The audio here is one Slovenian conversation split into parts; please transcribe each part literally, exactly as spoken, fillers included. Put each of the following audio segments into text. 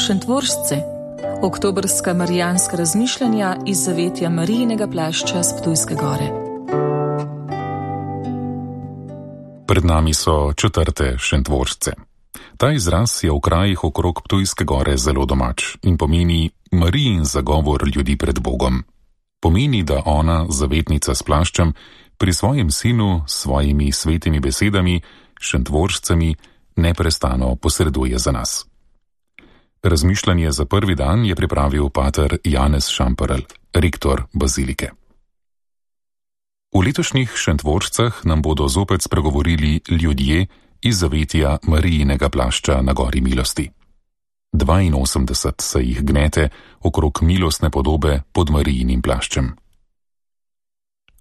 Šentvoržce, oktobrska marijanska razmišljanja iz zavetja Marijinega plašča s Ptujske gore. Pred nami so četrte Šentvoržce. Ta izraz je v krajih okrog Ptujske gore zelo domač in pomeni Marijin zagovor ljudi pred Bogom. Pomeni, da ona, zavetnica s plaščem, pri svojem sinu s svojimi svetimi besedami, Šentvoržcami, neprestano posreduje za nas. Razmišljanje za prvi dan je pripravil pater Janez Šamperl, rektor bazilike. V letošnjih Šentvoržcah nam bodo zopet spregovorili ljudje iz zavetja Marijinega plašča na gori milosti. dvainosemdeset se jih gnete okrog milostne podobe pod Marijinim plaščem.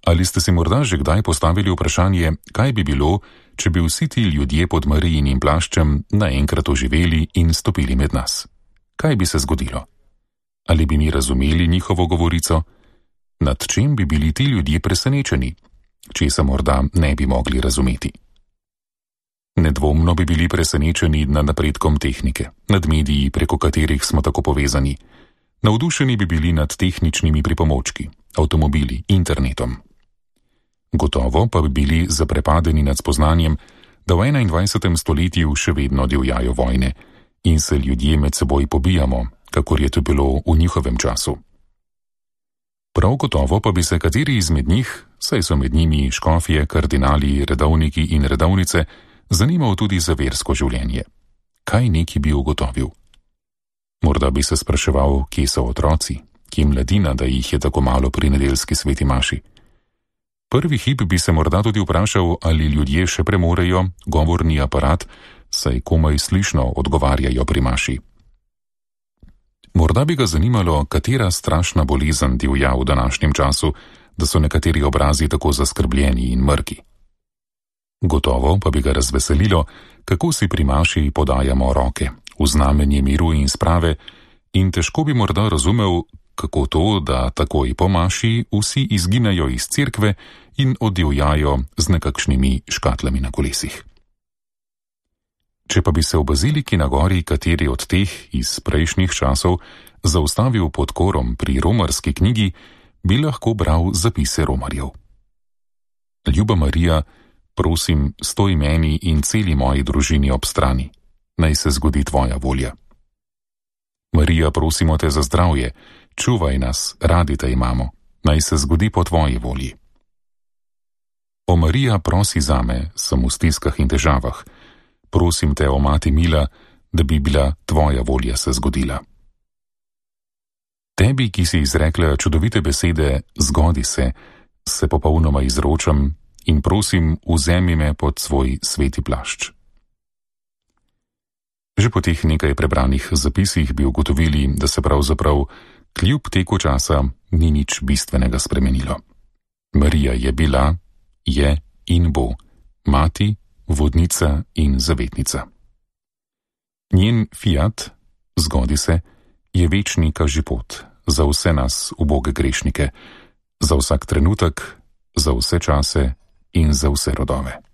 Ali ste si morda že kdaj postavili vprašanje, kaj bi bilo, če bi vsi ti ljudje pod Marijinim plaščem naenkrat oživeli in stopili med nas? Kaj bi se zgodilo? Ali bi mi razumeli njihovo govorico? Nad čem bi bili ti ljudje presenečeni? Česa morda ne bi mogli razumeti? Nedvomno bi bili presenečeni nad napredkom tehnike, nad mediji, preko katerih smo tako povezani. Navdušeni bi bili nad tehničnimi pripomočki, avtomobili, internetom. Gotovo pa bi bili zaprepadeni nad spoznanjem, da v enaindvajsetem stoletju še vedno divjajo vojne in se ljudje med seboj pobijamo, kakor je to bilo v njihovem času. Prav gotovo pa bi se kateri izmed njih, saj so med njimi škofje, kardinali, redovniki in redovnice, zanimal tudi za versko življenje. Kaj neki bi ugotovil? Morda bi se spraševal, kje so otroci, kje mladina, da jih je tako malo pri nedeljski sveti maši. Prvi hip bi se morda tudi vprašal, ali ljudje še premorejo govorni aparat, saj komaj slišno odgovarjajo pri maši. Morda bi ga zanimalo, katera strašna bolezen divja v današnjem času, da so nekateri obrazi tako zaskrbljeni in mrki. Gotovo pa bi ga razveselilo, kako si pri maši podajamo roke, v znamenje miru in sprave, in težko bi morda razumel, kako to, da takoj po maši vsi izginejo iz cerkve in oddivjajo z nekakšnimi škatlami na kolesih. Če pa bi se v baziliki na gori kateri od teh iz prejšnjih časov zaustavil pod korom pri romarski knjigi, bi lahko bral zapise romarjev. Ljuba Marija, prosim, stoj meni in celi moji družini ob strani, naj se zgodi tvoja volja. Marija, prosimo te za zdravje, čuvaj nas, radi te imamo, naj se zgodi po tvoji volji. O Marija, prosi zame, sem v stiskah in težavah, prosim te, o mati mila, da bi bila tvoja volja se zgodila. Tebi, ki si izrekla čudovite besede, zgodi se, se popolnoma izročam in prosim, vzemi me pod svoj sveti plašč. Že po teh nekaj prebranih zapisih bi ugotovili, da se pravzaprav kljub teku časa ni nič bistvenega spremenilo. Marija je bila, je in bo mati, vodnica in zavetnica. Njen fiat, zgodi se, je večni kažipot za vse nas, uboge grešnike, za vsak trenutek, za vse čase in za vse rodove.